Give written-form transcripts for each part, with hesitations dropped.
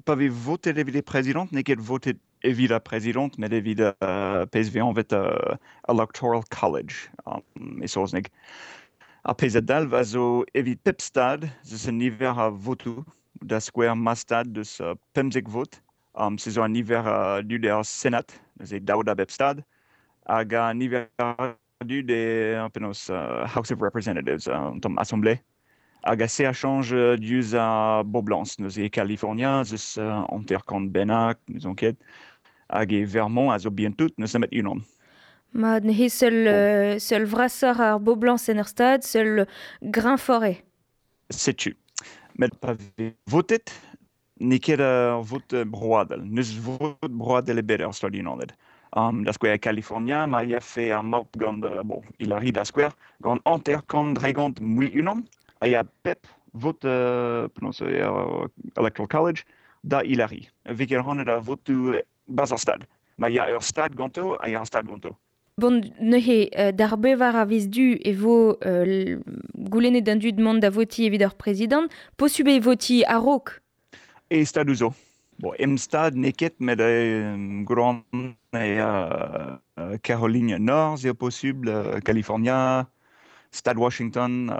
Pa vez votet evit e prezidant, n'eo ket votet evit ar prezidant, met evit pezh vez anvet Electoral College e saozneg. Ar pezh a dalv a zo evit pep stad eus un niver a votoù, da skouer ma stad deus 15 vot, se zo an niver a dud er Senat, neuze daou da bep stad, hag an niver a dud e penaos House of Representatives, an tamm assemblée. Hag a se a chañj diouzh ar boblañs. Neuze e California ez eus 50 bennak, n'ouzon ket. Hag e Vermont a zo bihan-tout, n'eus nemet unan. Mat, neuze seul vrasoc'h ar boblañs en ur stad, seul greñvoc'h eo. Setu. Met pa vez votet, n'eo ket ur vot broadel. N'eus vot broadel ebet er Stadoù-Unanet. Da skouer e California, ma yafe ar maout gant, bon, Hillary da skouer, gant 50 mui unan, a ya pep vot penaos eo, Electoral College da Hillary. Vez ket rannet ar votoù barzh ar stad. Ma ya ur stad ganto, a ya ar stad ganto. Bon, neuze, d'ar bevar a viz Du e vo goulennet d'an dud mont da votiñ evit ar prezidant. Posubl eo votiñ a-raok? E stadoù zo. Bon, em stad n'eo ket, met gant e Caroline Norzh eo posubl, California, stad Washington,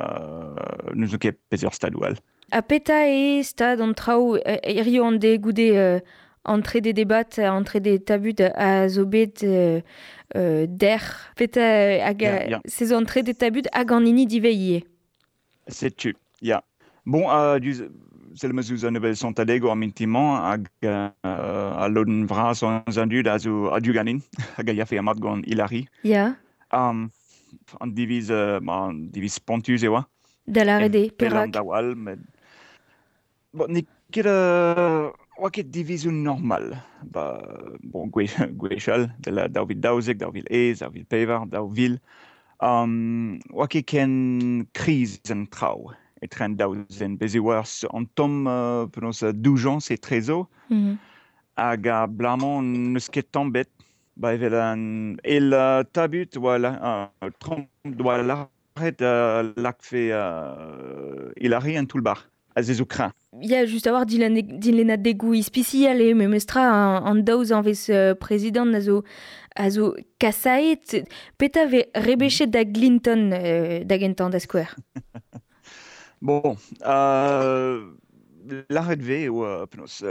n'ouzon ket peseurt stadoù all. Ha petra eo stad an traoù hiziv an deiz goude an trede debat, an trede tabut a zo bet dec'h? Petra hag se zo an trede tabut hag an hini divez ivez? Setu, ya. Bon, diouzh sell ma ouzh an nebeud sontadegoù ar mintin-mañ hag al lodenn vras eus an dud a zo a-du ganin hag a yafe mat gant Hillary. An diviz, an diviz spontus e oa. Da lâret eo, perak? Daou all, met bon, n'eo ket oa ket divizoù normal. Ba, bon, gwechall, 2012, 2001, 2004, 2000, oa ket ken kriz an traoù etre an daou zen. Bez' e oa an tamm penaos doujañs etrezo, hag abalamour n'eus ket tamm bet. Ba evel an eil tabut oa Trump doa lâret lakfe Hillary en toull-bac'h. Ha se zo kreñv. Ya, just a-walc'h dilennadegoù ispisial eo memestra an daou zanvez prezidant a zo kasaet. Petra vez rebechet da Clinton da gentañ, da skouer? Bon, lâret vez eo penaos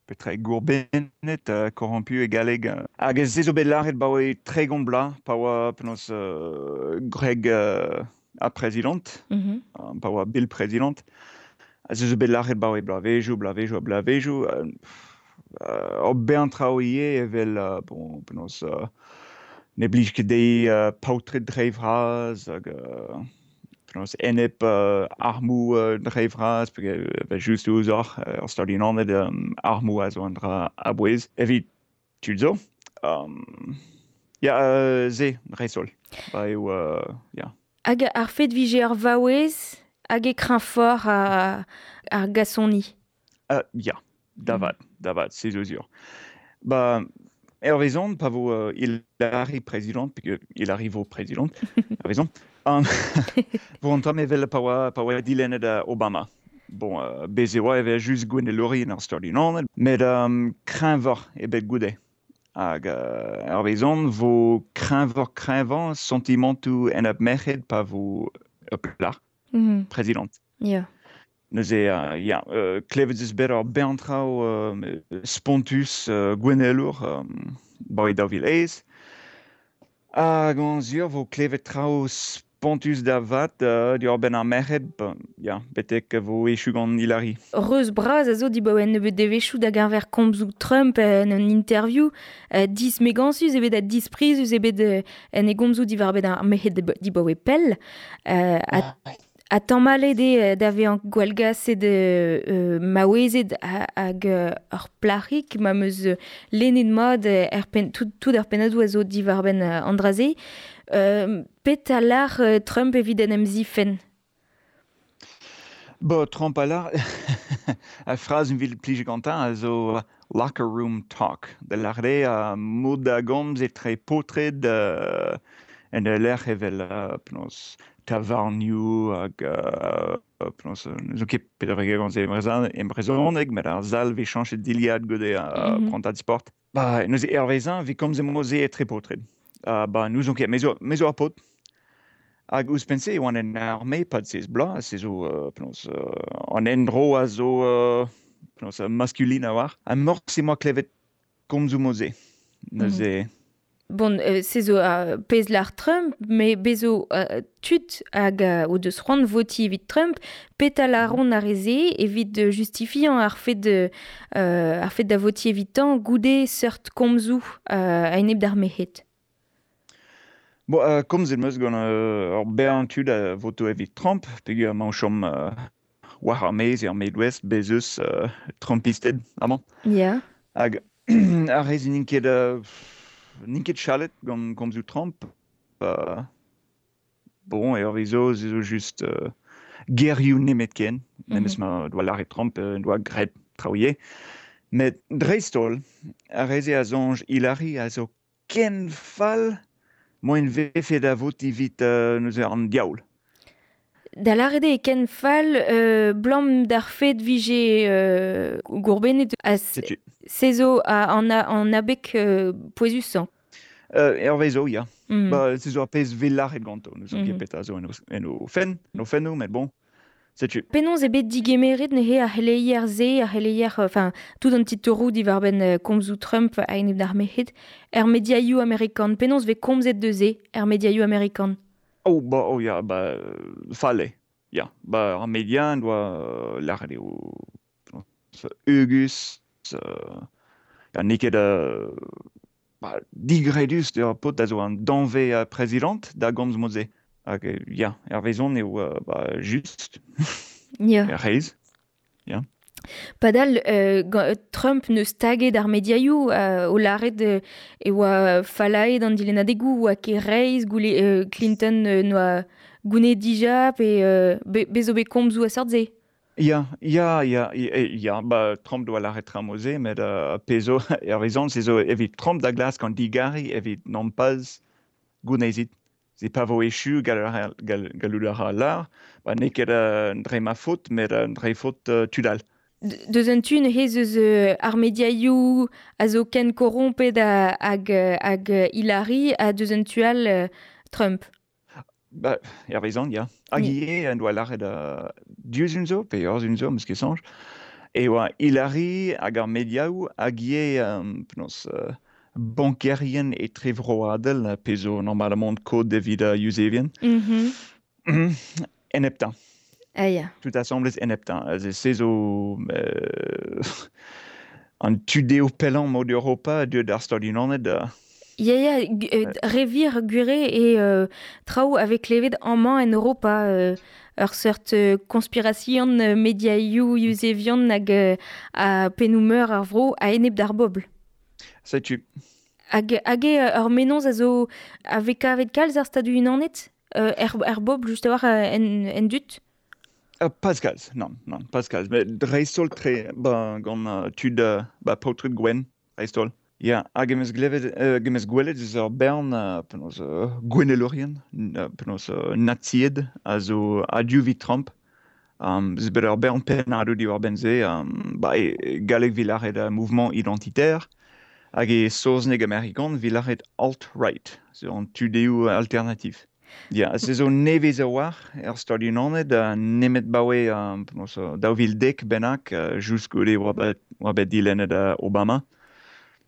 petra eo gourbennet, corrompu e galleg. Hag se zo bet lâret 'baoe 30 bloaz pa oa penaos gwreg ar prezidant, pa oa Bill prezidant. Ha se zo bet lâret 'baoe bloavezhioù, bloavezhioù ha bloavezhioù. Ur bern traoù ivez evel bon, penaos ne blij ket dezhi paotred dre vras hag penaos enep armoù dre vras, peogwir just ouzhoc'h er Stadoù-Unanet armoù a zo un dra a-bouez evit tud zo. Ya, se, dreist-holl. Ba eo, ya. Hag ar fet vije ur vaouez hag e kreñvoc'h ar gasoni? Ya, da vat, da vat, se zo sur. Ba, hervezon, pa vo Hillary prezidant, peogwir Hillary vo prezidant, hervezon, vo an tamm evel pa oa dilennet Obama. Bon, bez e oa evel just gouennelourien ar Stadoù-Unanet, met kreñvoc'h eo bet goude. Hag hervezon vo kreñvoc'h kreñvañ santimantoù enep merc'hed pa vo ur plac'h prezidant. Neuze, ya, klevet eus bet ur bern traoù spontus gouennelour 'baoe 2008. Hag an sur vo klevet traoù spontus da vat diwar-benn ar merc'hed, ya, betek vo echu gant Hillary. Reuz bras a zo dibaoe un nebeud devezhioù da geñver komzoù Trump en un interview. Dismegañsus eo bet ha disprizus eo bet en e gomzoù diwar-benn ar merc'hed dibaoe pell. Ha tamallet eo da vezañ gwallgaset maouezed hag ur plac'hig ma 'm eus lennet mat er penn, tout ar pennadoù a zo diwar-benn an dra-se. Petra lâr Trump evit en em zifenn? Bo, Trump a lâr, ar frazenn evit plij gantañ a zo locker room talk. Da lâret eo mod da gomz etre paotred. En lec'h evel penaos tavarnioù hag penaos n'eus ket petra gant se e brezhoneg, met ar sal vez chañchet dilhad goude prantad sport. Ba, neuze hervezañ vez komzet mod-se etre paotred. Ba, n'ouzon ket, me zo ar paotr. Hag ouzhpenn-se e oan en arme pad 16 bloaz, se zo penaos an endro a zo penaos maskulin a-walc'h. Ha morse 'moa klevet komzoù mod-se. Neuze... Bon, se zo pezh lar Trump, met bez zo tud hag o deus c'hoant votiñ evit Trump, petra laront ar re-se evit justifiañ ar fed da votiñ evitañ goude seurt komzoù a-enep d'ar merc'hed? Bon, komzet 'm eus gant ur bern tud a voto evit Trump, peogwir emañ o chom war ar maez er Midwest, bez eus Trumpisted amañ. Ya. Hag ar re-se n'int ket chalet gant komzoù Trump. Bon, hervezo, se zo just gerioù nemetken, memes ma doa lâret Trump en doa graet traoù ivez. Met dreist-holl, ar re-se a soñj Hillary a zo ken fall moaien vefe da votiñ evit neuze an diaoul. Da lâret eo ken fall blam d'ar fed vije gourbennet ha se zo an abeg pouezusañ. Hervezo, ya. Ba, se zo ar pezh 'vez lâret ganto. N'ouzon ket petra zo en o fenn, en o fennoù, met bon. Setu. Penaos eo bet digemeret neuze ar c'heleier-se, ar c'heleier, enfin, tout an titouroù diwar-benn komzoù Trump a-enep d'ar merc'hed, er mediaioù amerikan. Penaos 'vez komzet deus se er mediaioù amerikan? Oh, ba, oh ya, ba, fall eo. Ya, ba, ar media en doa lâret eo heugus, ya, n'eo ket ba, digredus d'ur paotr a zo an danvez prezidant da gomz mod-se. Hag ya, hervezon eo ba, just. Ya. Er reizh. Ya. Padal, Trump neus taget ar mediaioù o lâret e oa fallaet an dilennadegoù, oa ket reizh, goule Clinton noa gounet dija, pe bez zo bet komzoù a seurt-se. Ya, ya, ya, ya, ba, Trump doa lâret tra mod-se, met pezh zo, hervezon, se zo evit Trump da glask an digariñ evit nompas gounezit. Se pa vo echu gallout a ra lâr, ba n'eo ket dre ma faot, met dre faot tud all. Deus un tu neuze eus ar mediaioù a zo ken korrompet hag Hillary, ha deus un tu all Trump. Ba, hervezon, ya. Hag ivez en doa lâret diouzh zo, pe ur zo, 'm eus ket soñj, e oa Hillary hag ar mediaoù hag ivez penaos bankerien etrevroadel, pe zo normalement kod evit Yuzevien. Eneptañ. Ah ya. Tout asambles eneptañ. Se zo an tu-dehou pellañ mod Europa deuet d'ar Stadoù-Unanet. Ya, ya, re vir gwir eo traoù a vez klevet amañ en Europa, ur seurt konspirasion mediaioù yuzevion hag a pennoù-meur ar vro a-enep d'ar bobl. Setu. Hag eo ur mennozh a zo a vez kavet kalz ar Stadoù-Unanet er bobl just a-walc'h en dud? Pas kalz, nann, nann, pas kalz. Met dreist-holl tre ba, gant tud ba, paotred gwenn, dreist-holl. Ya, hag em eus glevet, em eus gwelet eus ur bern penaos gouennelourien, penaos nazied a zo a-du evit Trump. Eus bet ur bern pennadoù diwar-benn se, ba, e galleg 'vit lâret mouvement identitaire, hag e saozneg amerikan 'vit lâret alt-right, zo an tu-dehou alternatif. Ya, se zo nevez a-walc'h er Stadoù-Unanet, nemet 'baoe penaos 2010 bennak, just goude oa bet dilennet Obama.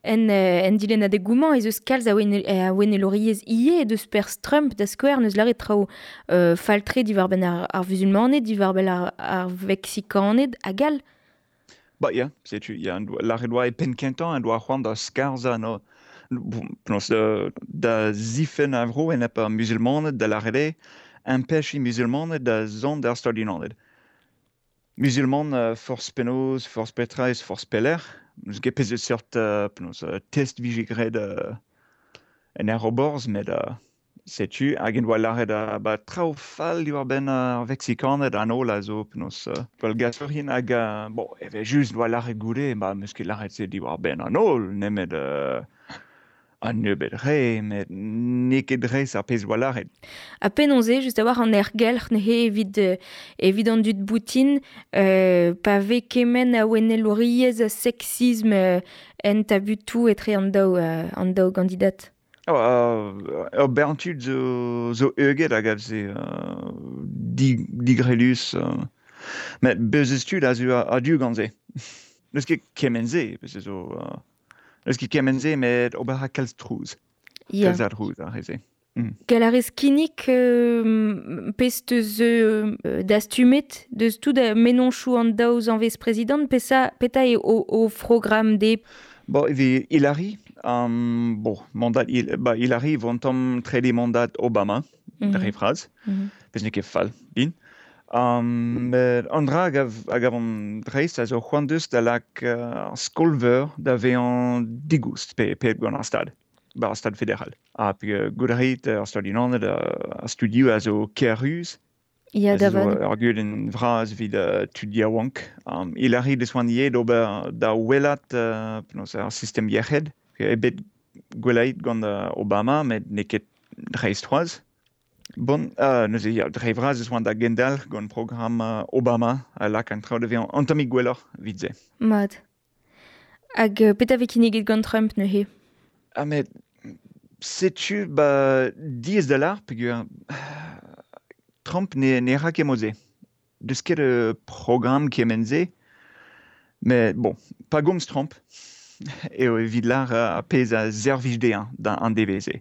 En dilennadegoù-mañ ez eus kalz a ouennelouriezh ivez deus perzh Trump da skouer n'eus lâret traoù fall-tre diwar-benn ar vuzulmaned, diwar-benn ar Veksikaned hag all. Ba ya, setu, ya, lâret oa e penn kentañ en doa c'hoant da skarzhañ no, penaos da zifenn ar vro enep ar muzulmaned da lâret eo empechiñ muzulmaned da zont d'ar Stadoù-Unanet. Muzulman forzh penaos, forzh petra eus forzh pelec'h. N'eus ket pezh seurt penaos test vije graet en aeroborzh, met setu, hag en doa lâret ba traoù fall diwar-benn ar Veksikaned an holl a zo penaos gwallgasourien hag bon, evel-just doa lâret goude, ba 'm eus ket lâret se diwar-benn an holl, nemet Un nebeud re, met n'eo ket dres ar pezh oa lâret. Ha penaos eo just a-walc'h an aergelc'h neuze evit an dud boutin pa vez kement a ouennelouriezh, a seksism en tabutoù etre an daou gandidat? Oh, ur bern tud zo heuget a gav se digrelus. Met bez eus tud a zo a-du gant se. N'eus ket kement-se, bez zo... N'eus ket kement-se, met ober a kalz trouz. Kalz a drouz ar re-se. Gall a rez kinnig pezh teus dastumet deus tout mennozhioù an daou zanvez prezidant, petra eo o programm de? Bon, evit Hillary, bon, mandat, ba, Hillary vo an tamm trede mandat Obama, dre vras, pezh n'eo ket fall din. Met an dra a gavan dreist a zo c'hoant deus da lak ar skol-veur da vezañ digoust pe gant ar stad, ba ar stad federal. Ha pe goût a rit ar Stad-Unanet ar studioù a zo ker-ruz. Ya, zo da vat. Ur gudenn vras evit tud yaouank. Hillary deus c'hoant ivez d'ober da welat penaos ar sistem yec'hed. Eo bet gwellaet gant Obama, met n'eo ket dreist c'hoazh. Bon, neuze ya, dre vras eus oan da gendalc'h gant programm Obama a lak an traoù da vezañ un tammig gwelloc'h evit se. Mat. Hag petra vez kinniget gant Trump neuze? Ah met setu ba diaes da lâr peogwir Trump ne ra ket mod-se. Deus ket programm kement-se. Met bon, pa gomz Trump eo evit lâr ar pezh a servij dezhañ da an devezh-se.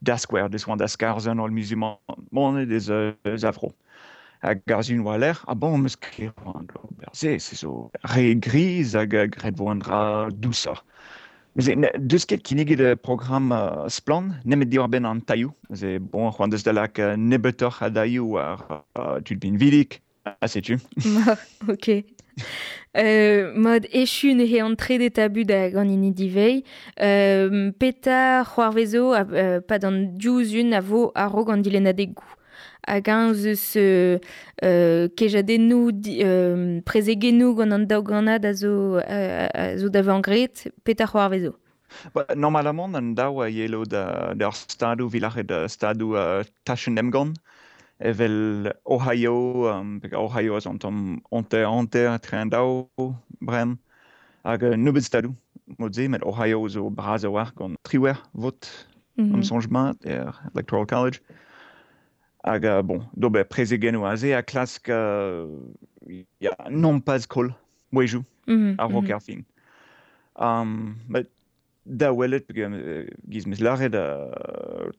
Da skouer, deus oan da skarzhañ an holl musulmaned eus a vro. Hag ar sun war-lerc'h, ah bon, 'meus ket c'hoant d'ober se, se zo re griz hag graet vo an dra dousoc'h. Neuze, deus ket kinniget programm splann, nemet diwar-benn an tailhoù. Neuze, bon, c'hoant deus da lak nebeutoc'h a dailhoù war tud pinvidik, ha setu. Ok. Mod echu neuze an trede tabut hag an hini divei. Petra c'hoarvezo pad an div zun a vo a-raok an dilennadegoù? Hag eñ eus kejadennoù, prezegennoù gant an daou gannad a zo da vezañ graet, petra c'hoarvezo? Ba, normalamant an daou a yelo d'ar stadoù vilac'het stadoù tachenn emgann evel Ohio, Ohio a zo un tamm hanter-hanter etre an daou bremañ, hag nebeut stadoù mod-se, met Ohio zo bras a-walc'h gant 18 vot, am soñj mat, er Electoral College. Hag bon, d'ober prezegennoù aze ha klask ya, nompas koll mouezhioù a-raok ar fin. Met da welet, giz 'meus lâret,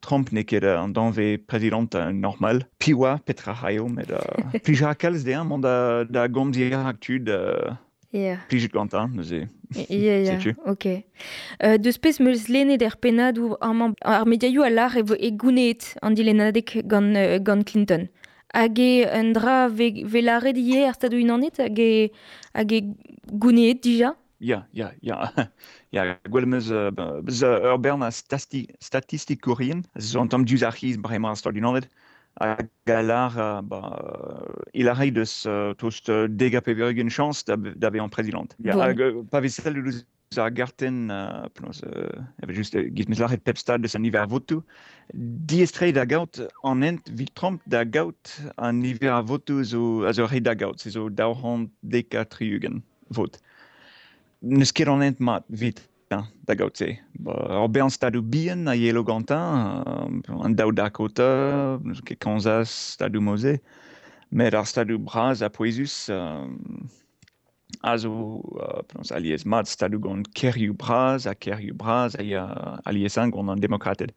Trump n'eo ket an danvez prezidant normal. Piv oa petra raio, met plij a ra kalz dezhañ mont da gomz dirak tud plijet gantañ, neuze. Ya, Setu. Ok. Deus pezh 'meus lennet er pennadoù amañ, ar mediaioù a lâr e vo e gounezet an dilennadeg gant Clinton. Hag eo un dra ve lâret ivez er Stadoù-Unanet hag e gounezet dija? Ya. Ya, gwell 'meus beus ur bern a statistikourien, zo an tamm diouzh ar c'hiz bremañ ar Stadoù-Unanet, hag a lâr, ba, il a rei deus tost 90 chañs da vezañ prezidant. Ya, hag pa vez sellet ouzh ar gartenn, penaos, evel just, giz 'meus lâret pep stad deus an niver a votoù, diaes-tre da gaout an hent evit Trump da gaout an niver a votoù a zo ret da gaout, se zo 270 vot. N'eus ket an hent mat evit da gaout se. Ba, ur bern stadoù bihan a yelo gantañ, an daou Dakota, n'eus ket Kansas, stadoù mod-se, met ar stadoù bras ha pouezus a zo penaos alies mat stadoù gant kêrioù bras ha kêrioù bras a ya alies gant an demokrated.